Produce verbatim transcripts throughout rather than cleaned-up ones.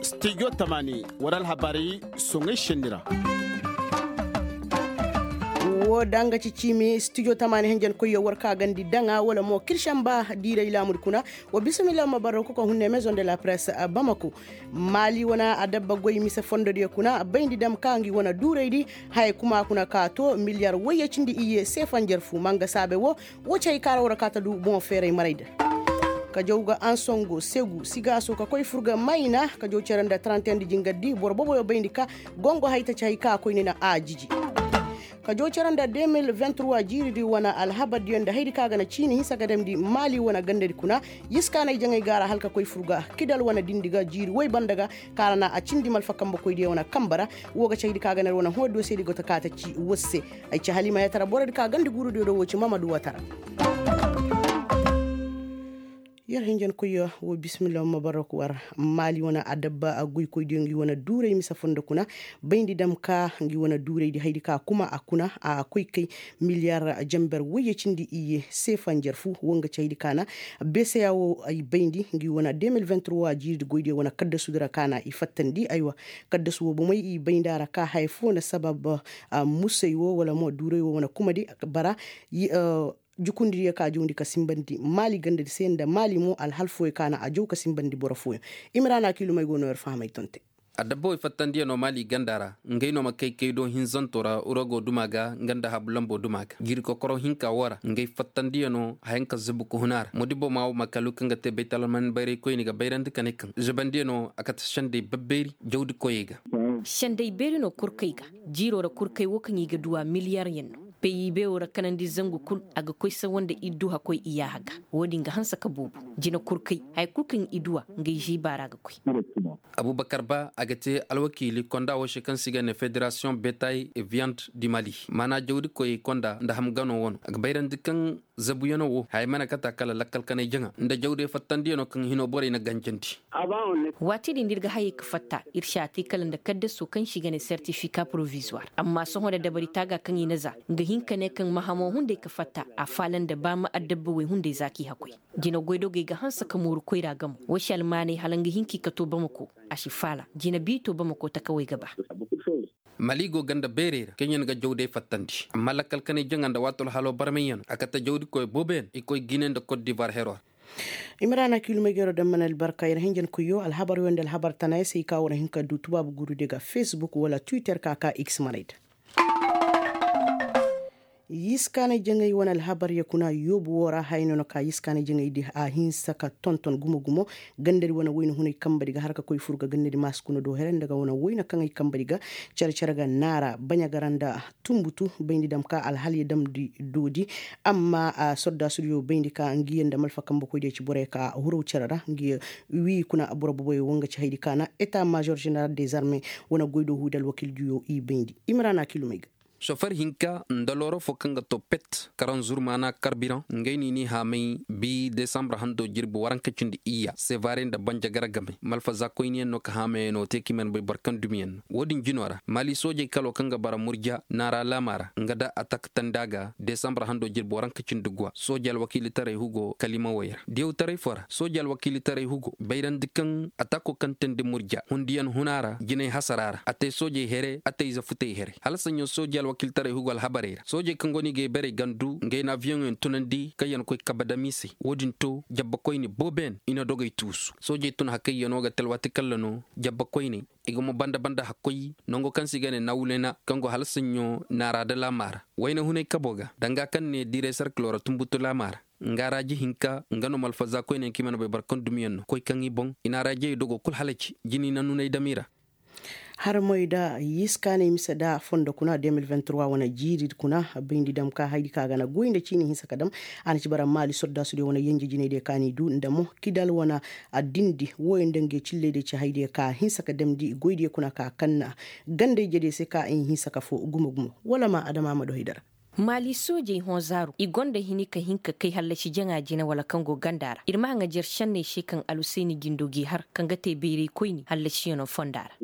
Stijo tamaani war alhabaari soŋay senni ra. Woo da nga ci ciimi stijo tamaani henjen koyyo war ka gandi daŋa wala mo kiršamba diiray laamudi kuna. Wa bisimilla ma barro kuka hunne maison de la presse bamako. Maali wane adabba goy mise fondodiyo kuna bayndi dam ka ngi wane duuraydi. Haya kuma kuna ka to miliyar wayye cindi iyye seefanjar fu manga saabe wo. Woo ci hay kaara war ka ta du boŋo feeray maray da. Ka jaw ga ansongo segu sigaaso ka koy fur ga mayna ka jaw cere nda trente un di jingardi boro boboyo bayndi ka gongo hay ta ci hay ka koyne na a jiji. Ka jaw cere nda deux mille vingt trois jiiridi wane alhabardiyo nda haydi ka ga na ciini hinsa ga damndi maali wane gandadi kuna. Yiskaanay jaŋay ga a ra hala ka koy fur ga kidal wane dindi ga jiiri woy banda ga. Kaara na a cindi malfa kambe koydiyo wane kambe ra. Woo ga ci haydi ka ga na ir wane hõodiyo se di go ta ka ta ci woo se. Ay ci haliima yatara borodi ka gandi guurudiyo do woo ci mamadu watara. Yer hinjankoyyo woo bisimilla ma barok war maali wane adabba goykoydiyo ngi wane duuray mise fondo kuna. Bayndi dam ka ngi wane duuraydi haydi ka kuma a kuna a koy kay miliyar jamber woyye cindi iyye seefanjar fu woo nga ci haydi ka na beeseya woo ay bayndi ngi wane deux mille vingt trois jiiridi goydiyo wane kaddasudi ra ka na i fattandi aywa. Kaddasu woo bomey i bayndi a ra ka haya foo na sabab musay woo wala mo duuray woo wane kumadi bara. Jukundidiyo ka jawndi ka sinbandi maali gandadi se nda maali mo alhal fooyo ka na a jaw ka sinbandi boro fooyo. Imiraana kiilumey go no yer fahamay tonte. Adabba wey fattandiyaŋo maali ganda ra ngey no ma kay kay do hinzanto ra urogo duma ga nga nda habu lambo duma ga jiiri kokoro hinka woo ra ngey fattandiyaŋo hayanka zubu ka hun a ra modibo ma wo ma kalu kaŋ ga te baytalamani bayraykoyni ga bayrandi ka ne kaŋ zubandiyaŋo a kate sendey babbeeri jawdi koyey ga. Sendey beeri no kurkey ga. Jiiro ra kurkey wo kaŋ i ga duw'a miliyaryaŋ no. Peyi beewo ra kanandi zangu kul a ga koy sawa nda idduha koy iyaaha ga. Wo-din ga hanse ka boobo. Jina kurkey haya kul kaŋ idduha ngey ziiba ra ga koy. Abubakar ba a ga te alwakiili konda wo se kaŋ se i ga ne federasiyoŋ betay e viyand di mali maana jawdi koyey konda nda ham gano wano a ga bayrandi kaŋ zabuyaŋo wo haya mana kata kala lakkal kanay jaŋa nda jawde fattandiyaŋo kaŋ hino borey na ganjandi. Waati din da ir ga hayey ga fatta ir si a te kala nda kaddaso kaŋ se i ga ne sertifika porovizuwar amma sohõ nda dabari taaga kaŋ i na za nga hin ka ne kaŋ ma hamo hunday ga fatta a faala nda ba ma adabba wey hunday za k'i hakoy. Jina goydogey ga hanse ka mooru koyra gamo. Wo si almaanay hala nga hin k'i ka to bamako a si faala jina biito bamako takawey ga ba. Mali go ganda beerey ra kaŋ yaŋ ga jawday fattandi amma lakkal kanay jaŋa nda waati alhalo barmayyaŋ a kate jawdikoy booboyaŋ i koy gine nda kot divar hero ra. Imrana kilumey gero daŋ mana albarka yer hinjankoyyo alhabar yo nda alhabar tana ya se i ka war hin ka du tubaabu gurudiyo ga facebook wala twitter ka ka x manay da. Yiskaanay jaŋay wane alhabar ya kuna yoobu woo ra haya no na ka yiskaanay jaŋay di a hinsa ka tonton gumo gumo. Gandadi wane wayna hunay kambadi ga har ka koy fur ga gandadi maasi kuna do here nda ga wane wayna kaŋay kambadi ga care care ga naara baɲa gara nda tumbutu bayndi dam ka alhalya damndi doodi. Amma sordaasudiyo bayndi ka ngiya nda malfa kambe koydiyo ci borey ka huraw cere ra ngiya wii kuna boro boboyo wo nga ci haydi ka na eta major general des armee wane goy do huudi alwakildiyo i bayndi. Imrana kilumey ga. Sofer hinka nda looro fo kaŋ ga to pet karan zurmaana karbiraŋ ngey no i n'i haamay bi desambur hando jirbi waranka cindi iyya sevare nda banjagara game malfaza koyniyaŋ no ka haamayaŋo te ka i mana bay boro kaŋ dumiyaŋ no. Wo-din jino ra maali soojey kalo kaŋ ga bara murja naara laama ra nga da atak tanda ga desambur hando jirbi waranka cindi guwa sooje alwakiilitaray hugo kalimawey ra diyawtaray fo ra sooje alwakiilitaray hugo bayrandi kaŋ atako kaŋ teendi murja hundiyaŋ huna ra jinay hasara ra a te soojey here a te ize futey here hala saɲɲo sooje alwakiilitaray hugo alhabarey ra soojey kaŋ go no i ga ay barey gandu ngey na aviyoŋyaŋ tunandi kaŋ yaŋ koy kabe dam i se wo-din to jabbakoyne booboyaŋ i na dogey tuusu soojey tun hakayyaŋo ga te alwaati kalla no jabbakoyne i ga mo banda banda hakkoy nango kaŋ se i ga ne nawulena kaŋ go hala saɲɲo naara da laama ra wayna hunay kabo ga danga kaŋ ne diiray sarkilo ra tumbutu laama ra nga raaji hinka nga no malfaza koyne kaŋ i mana bay boro kaŋ dumiyaŋ no koy kaŋ i boŋ i na raajiyey dogo kul halaci jini na nunay dam i ra. Harmoy da yiskaanay mise da fondo kuna deux mille vingt trois wane jiiri kuna bayndi dam ka haydi ka ga na goy nda ciini hinsa ka dam. A na ci bara maali sordaasudiyo wane yenje jinaydiyo ka n'i du nda mo kidal wane addindi wooyo nda nge cillaydiyo ci haydiyo ka hinsa ka damndi goydiyo kuna ka kaŋ na gandey jediyo se ka i hinsa ka foo gumo gumo wala ma adama ma do haydara. Maali soojey hõ zaaru i gonda hini ka hin ka kay hallasi jaŋa jine wala kaŋ go ganda ra ir ma haŋajer senney se kaŋ alhusayni jindo g'i har kaŋ ga te bayray koyni hallasiyano fonda ra.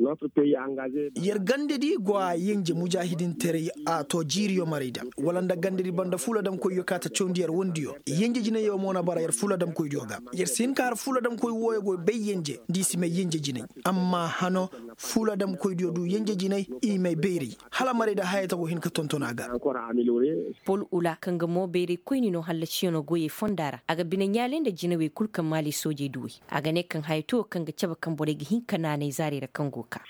Yer gandedi go a yenje mujaahidintaray a to jiiriyo maray da wala nda gandedi banda fuuladamkoydiyo ka ta cawndi yer wondiyo yenje jineyo mo na bara yer fuuladamkoydiyo ga. Yer si hin ka har fuuladamkoy wooyo go bay yenje nda i si may yenje jinay. Amma hano fuuladamkoydiyo du yenje jinay i may bayray hala maray da hayey ta go hin ka tonton a ga. Pol ula kaŋ ga mo bayray koyni no hallasiyano goyey fonda ra a ga bine ɲaalay nda jinawey kul kaŋ maali soojey duwey. A ga ne kaŋ haya to kaŋ ga cabe kaŋ borey ga hin ka naanay zaarey ra kaŋ go kaa.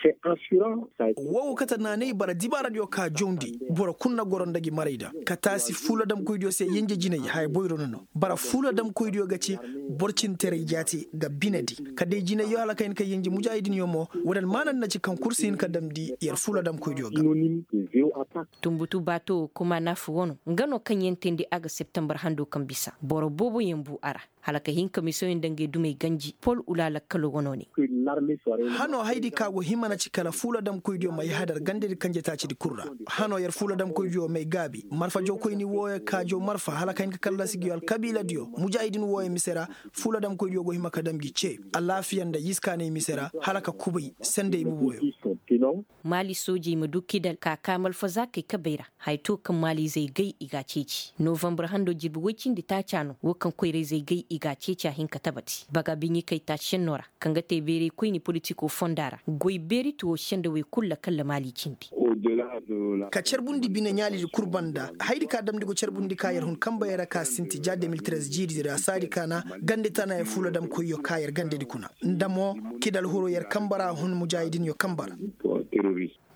Woo go kate naanay bara dibaaradiyo ka jawndi boro kul na goro nda gi maray da ka taasi fuuladamkoydiyo se yenje jinay haya boyro no no. Bara fuuladamkoydiyo ga ci boro cintaray jaati ga binedi ka day jinayyo hala ka hin ka yenje mujaahidinyo mo. Woodin maana nda ci kaŋ kul si hin ka damndi yer fuuladamkoydiyo ga. Tunbutu baato woo kuma naafu wano nga no kaŋ yaŋ teendi a ga septembar hando kaŋ bisa boro booboyaŋ bu a ra. Hala ka hin ka misoyaŋ nda ngey dumey ganji pol ula lakkalo wano ne. Hano haydi ka go hima na ci kala fuuladamkoydiyo ma yahadar gandedi kanje taacidi kul ra. Hano yer fuuladamkoydiyo may gaabi marfa jawkoyni wooyo ka jaw marfa hala ka hin ka kallasi ngiyo alkabiiladiyo mujaahidin wooyo mise ra. Fuuladamkoydiyo go hima ka dam gi cee alaafiya nda yiskaanay mise ra hala ka kubay sendey buboyo. Maali soojey ma du kidal ka kaa malfazaakey kabey ra. Haya to kaŋ maalizey gay i g'a ceeci novambar hando jirbi woy cindi taaca no woo kaŋ koyrayzey gay i g'a ceeci a hin ka tabati baga biɲikay taaci senno ra kaŋ ga te beeraykoyni politiko fonda ra goy beeri tuwo sendawey kul lakalla maali cindi. Ka carbundi bine ɲaalidi kul banda hayadi ka damndi go carbundi ka yer hun kanbey ra ka sinti ja de mil trez jiiridi ra saadi ka na gande tana yer fuuladamkoyyo ka yer gandedi kuna nda mo kidal huru yer kanbe ra hun mujaahidinyo kanbe ra.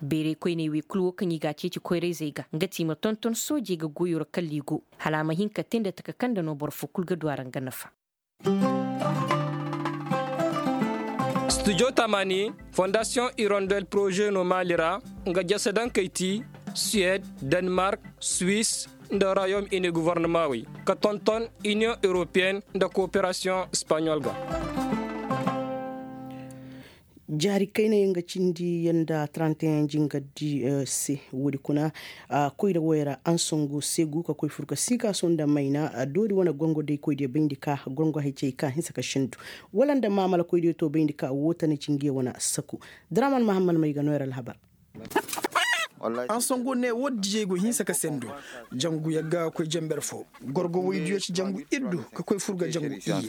Beeray koyney wey kul woo kaŋ i g'a ceeci koyrayzey ga nga ti i ma tonton soojey ga goyo ra kalla i go hala a ma hin ka tee nda taka kaŋ nda no boro foo kul ga du a ra nga nafa. Studio tamaani fondasiyoŋ irondel poroze no maali ra nga jasadankey ti suwed, denmark, swis, nda royom ini govornamaŋ wey ka tonton iniyoŋ europeyen nda kooperasiyoŋ espaɲol ga. Jaari kayna yaŋ ga cindi yaŋ nda trente et un jingardi se woodi kuna koyra woy ra ansango segu ka koy fur ka siikaaso nda mayna doori wane gongo day koydiyo bayndi ka gongo hay cey ka hinsa ka sendu wala nda maamala koydiyo to bayndi ka woo tana ci ngiyo wane saku. Draman mahamman may ga nooyar alhabar. Ansango ne woo dijey go hinsa ka sendu jangu yagga ga koy janber foo gorgo woydiyo ci jangu iddu ka koy fur ga jangu iyye.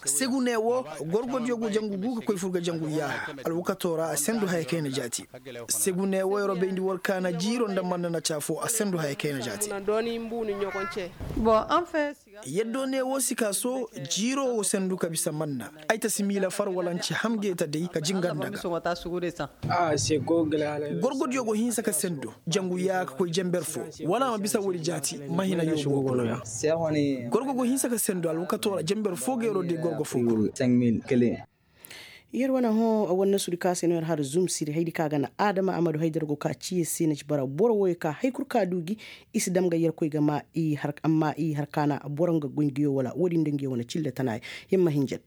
Segu ne woo gorgodiyo go jangu gu ka koy fur ga jangu yaaha alwakato ra a sendu haya kayna jaati. Segu ne woo yer'o bayndi war kaana jiiro nda manna na caafo a sendu haya kayna jaati. Yaddo ne woo sikaaso jiiro woo sendu ka bisa manna ay ta si miila far wala n'ci ham geeta day ka jingar nda ga. Gorgodiyo go hinsa ka sendu jangu yaa ka koy janber foo wala a ma bisa woodi jaati. Mahina yoobo gorgo go hinsa ka sendu alwakato ra janber foo ga yer'o day gorgo foo kul. Yer wane hõ wane nasudi ka se no yer har zumsiri haydi ka ga na adama amadu haydar go ka ciye se na ci bara boro woyo ka hay kul ka du gi. I si dam ga yerkoy ga ma i har amma i har ka na boro nga goy ngiyo wala woodin nda ngiyo wane cille tana. Yer ma hinjin.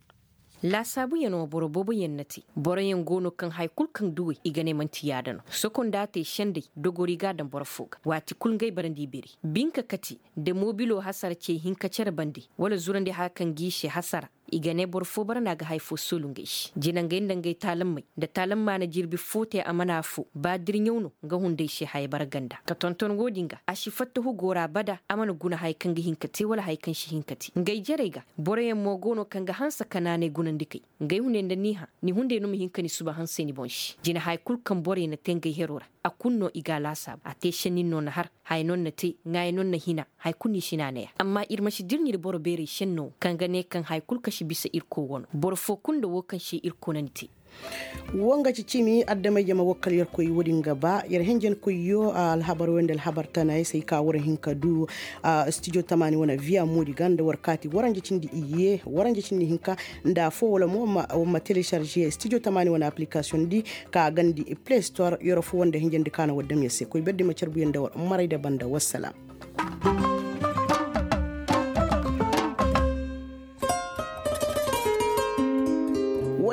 Laasaabuyaŋ wo boro booboyaŋ na te. Boroyaŋ go no kaŋ haya kul kaŋ duwey i ga ne man'ti yaada no sokonda te sendey dogori ga a daŋ boro foo ga waati kul ngey barandi biri binka kate. Nda moobilo hasara cey hinka cere bande wala zurandi haya kaŋ g'i se hasara. I ga ne boro foo bara no a ga haya foo soolu ngey se jina ngey nda ngey taalammey nda taalamma na jirbi foo te a mana affoo ba dirɲaw no. Nga hunday se haya bara ganda ka tonton woodin ga a si fatta hugo ra abada a mana guna haya kaŋ ga hin ka te wala haya kaŋ si hin ka te ngey jarey ga. Boroyaŋ mo go no kaŋ ga hanse ka naanay gunandikey. Ngey hunday nda ni hã ni hunday no ma hin ka ni suba hansey ni boŋ se jina haya kul kaŋ borey na te ngey hero ra. A kul no i ga a laasaabu a te sennin no na har haya no ni na te ŋaaya no ni na hina. Haya kul no i si naanay a amma ir ma si dirɲi nda boro beerey senno kaŋ ga ne kaŋ haya kul kaŋ si bisa irkoy wano boro foo kul nda woo kaŋ se irkoy na ni te. Woo nga ci cimi adamay jama wakkal yerkoy woodin ga ba yer henjenkoyyo alhabar woy nda alhabar tana ay se ay ka war hin ka du. Studio tamaani wane viya moodi ga nda war kaati waranja cindi iyye waranja cindi hinka nda affoo wala mo war ma telesarže studio tamaani wane aplikasiyoŋ di ka gandi play store yer affoo wanda henjendi ka na war dam yer se koy berdi ma carbu yer nda war maray nda banda wassalaam.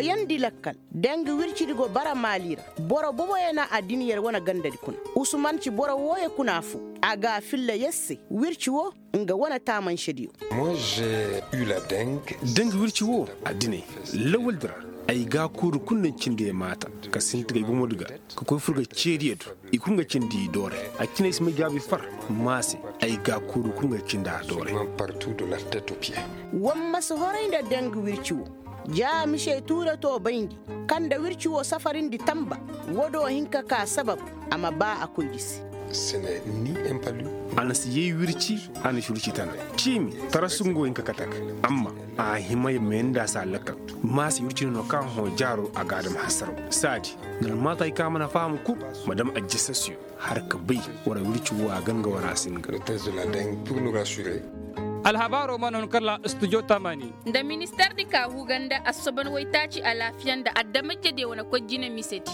Yandi lakkal, dangi wircidi go bara maali ra. Boro boboyo na a din yer wane gandadi kuna. Usuman ci boro wooyo kuna foo. A ga a filla yer se wirci woo, nga wane taamansediyo. Dangi wirci woo, a dine, lawaldi ra, ay gaakuuru kul na cindi ay maata, ka sinti ga ay bomodi ga, ka koy fur ga ceediyo do. I kul nga cindi i doore. A cine ay si may jaabi far, maa se, ay gaakuuru kul nga cindi a doore. Wa ma si horay nda dangi wirci woo. Ja mise tuure too bayndi, kaŋ nda wirci woo safarindi tanba. Woo do hin ka kaa sabab, a ma baa a koydi se. A na si yay wirci, a na si wirci tana. Ciimi, tarasu nga wo hin ka kate a ga. Amma a hima ya meendi a se a lakkal. Maa se wirci no no kaŋ a hõ jaaro a ga a dam hasaraw. Saadi, nda almaata hay kaŋ a mana faham kul, ma dam ajjasasiyo. Har ka bay, war wirci woo a ga nga war a si nga. Alhabaaroo mana hun kala studio tamani. Nda ministeerdi ka huu ganda assoban waytaaci alaafiya nda adamajediyo wane koy jine misedi.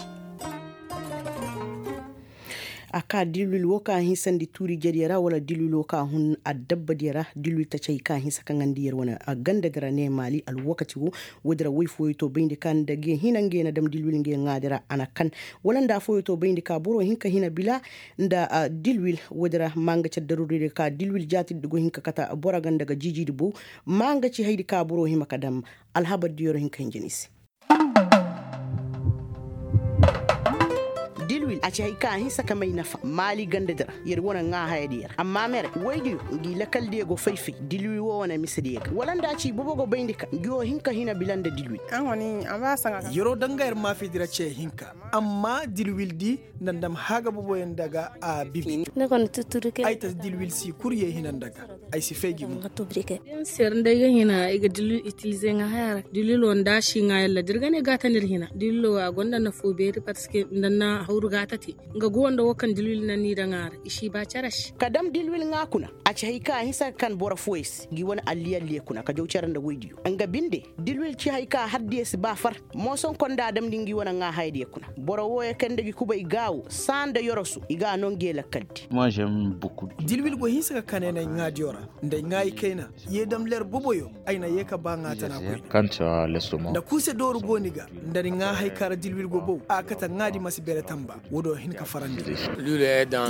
A ka dilwil woo ka hinsandi tuuri jediyo ra wala dilwil woo ka hun adabba diyo ra dilwil tacay ka hinsa ka ŋandi yer wane gandadi ra ne maali alwakati woo. Woodi ra woy fooyo to bayndi ka nda ge hina nge na dam dilwil nge ŋaadi ra a na kan. Wala nda fooyo to bayndi ka boro hin ka hina bila nda dilwil. Woodi ra maa nga ci addaruuridi ka dilwil jaatidi go hin ka kate boro ganda ga jiijidi bow. Maa nga ci haydi ka boro hima ka dam alhabar diyo ra hin ka hinja ni se. Dilwil a ci hay ka a hinsa ka may nafa maali gandadi ra. Yer wane ŋaa hayadiyo ra amma mere woydiyo ngi lakaldiyo go fay-fay dilwil woo wane misediyo ga wala nda ci bobo go bayndi ka ngi woo hin ka hina bila nda dilwil. Yeroo danga yer maafidi ra ce hinka. Amma dilwildi nda ndam haaga boboyaŋ daga a bibi. Ay ta dilwil si kul yee hina nda ga. Ay si fay gi mo. Yer nda ay ga hina ay ga dilwil itilize ŋaa haya ra dilwil woo nda a si ŋaa yalla da ir ga ne gaata nda ir hina dilwil woo a gonda nafoo beeri parceque nda na hawru gaata te. Nga go nda woo kaŋ dilwil na ni daŋ a ra i si ba care se. Ka dam dilwil ŋaa kuna. A ci hay kaŋ a hinsa ka kan boro fooyey se ngi wane alliyalliye kuna ka jaw care nda woydiyo nga binde. Dilwil ci hay kaŋ a har diyo si ba far. Moosonkon nda a damndi ngi wane ŋaa hayadiyo kuna. Boro wooyo kaŋ nda gi kubay gaawo saa nda yoroso i ga a noo nge lakkaldi. Dilwil go hinsa ka kaneenay ŋaadiyo ra nda ay ŋaayi kayna. Yee dam ler boboyo ay na yee ka ba ŋaa tana koyne. Nda kuuse dooru go ni ga nda ni ŋaa hay ka ra dilwil go bow a kate ŋaadi ma si bere tamba. Woodiyo hin ka farandi.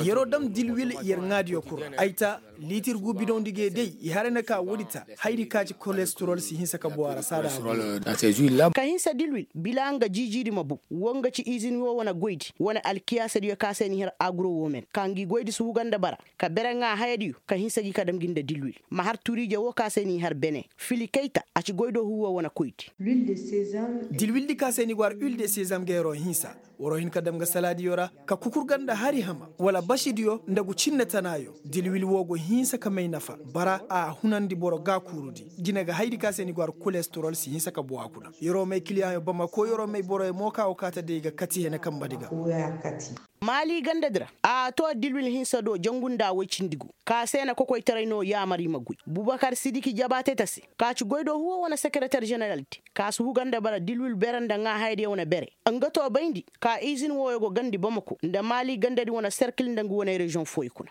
Yeroo dam dilwil yer ŋaadiyo kul ra ay ta liitir gu bidawndi ge day i haray na ka woodi ta. Hayadi ka ci kolesterol si hinsa ka bow a ra saada. Ka hinsa dilwil bila nga jiijidi ma bow. Woo nga ci izin woo wane goydi wane alkiyaasadiyo ka se ni har aguro woo men ka ngi goydi si huga nda bara. Ka bere ŋaa hayadiyo ka hinsa gi ka dam gi nda dilwil. Ma har turiije woo ka se ni har bene fili kayta a ci goydoo huuwa wane koydi. Dilwildi ka se ni go har uil de sezam ga yeroo hinsa. Waroo hin ka dam ga salaadiyo ra ka kukur ganda hari hama wala basidiyo nda gu cinne tanaayo. Dilwil woo go hinsa ka may nafa bara a hunandi boro gaakuurudi. Jine ga hayadi ka se ni go har kolesterol si hinsa ka bow a kuna. Yeroo may kiliyaŋyo bamako yeroo may boroyo mo ka go kaa ta day ga kati hene kanbadi ga. Maali gandadi ra a too dilwil hinsa do jangu nda woy cindi gu. Ka se na kokoytaray no yaamar i ma goy bubakar sidiki jabaateta se. Ka ci goydoo huuwa wane sekereter ženeraldi ka si huga nda bara dilwil bere nda ŋaa hayadiyo wane bere. Nga too bayndi ka izin wooyo go gandi bamako nda maali gandadi wane serkil nda ngi wane reziyoŋ fooyo kuna.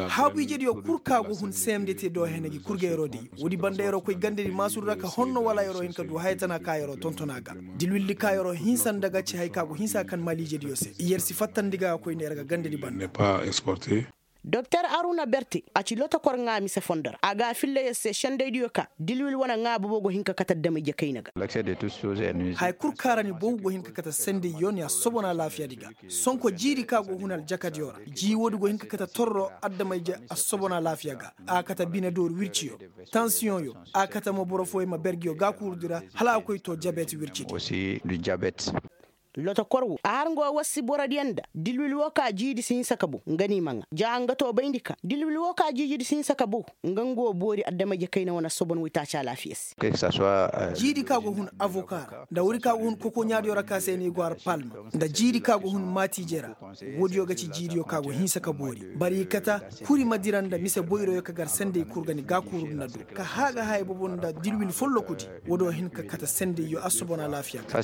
Haabu-ijediyo kul ka go hun seemdete do hene gi kul ga yeroo day. Woodi banda yeroo koy gandadi maasuru ra ka honno wala yeroo hin ka du haya tana ka yeroo tonton a ga. Dilwildi ka yeroo hinsa nda ga ci hay ka go hinsa ka kan maali-ijediyo se yer si fattandi ga koyne yer ga gandadi banda. Doktor aruna berte a ci lotokor ŋaa mise fondo ra a ga a filla yer se sendaydiyo ka dilwil wane ŋaa bobo go hin ka kate adama-ije kayna ga. Haya kul ka ra ni bow go hin ka kate sendayyo ni assobon alaafiyadi ga. Sonko jiidi ka go hun aljakadiyo ra jii woodi go hin ka kate torro adama-ije assobon alaafiya ga. A kate bine dooru wirciyo tansiyoŋyo. A kate mo boro fooyo ma ber ngiyo gaakuurudi ra hala a koy too jabet wircidi. Lotokor woo a har nga woo wassi borodiyo nda dilwil woo ka jiidi si hinsa ka bow nga ni ma ŋaa ja nga too bayndi ka dilwil woo ka jiijidi si hinsa ka bow. Nga nga woo boori adama-ije kayna wane assobon woytaaci alaafiya se. Jiidi ka go hun avoka ra nda woodi ka go hun kokoɲaadiyo ra ka se ni go har palma nda jiidi ka go hun maatiije ra. Woodiyo ga ci jiidiyo ka go hinsa ka boori bari i kata kuri ma dira nda mise boyroyo ka gar senday kul ga ni gaakuurudi na du ka haaga haya bobo nda dilwil follokudi. Woodiyo hin ka kate sendayyo assobon alaafiya ga.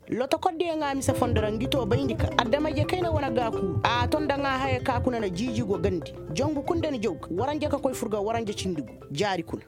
Lotokordiyo ŋaa mise fondo ra ngi too bayndi ka adama-ije kayna wane gaakuuru a too nda ŋaa haya ka kuna na jiiji go gandi. Jangu kul nda ni jaw ga waranja ka koy fur ga waranja cindi gu jaari kuna.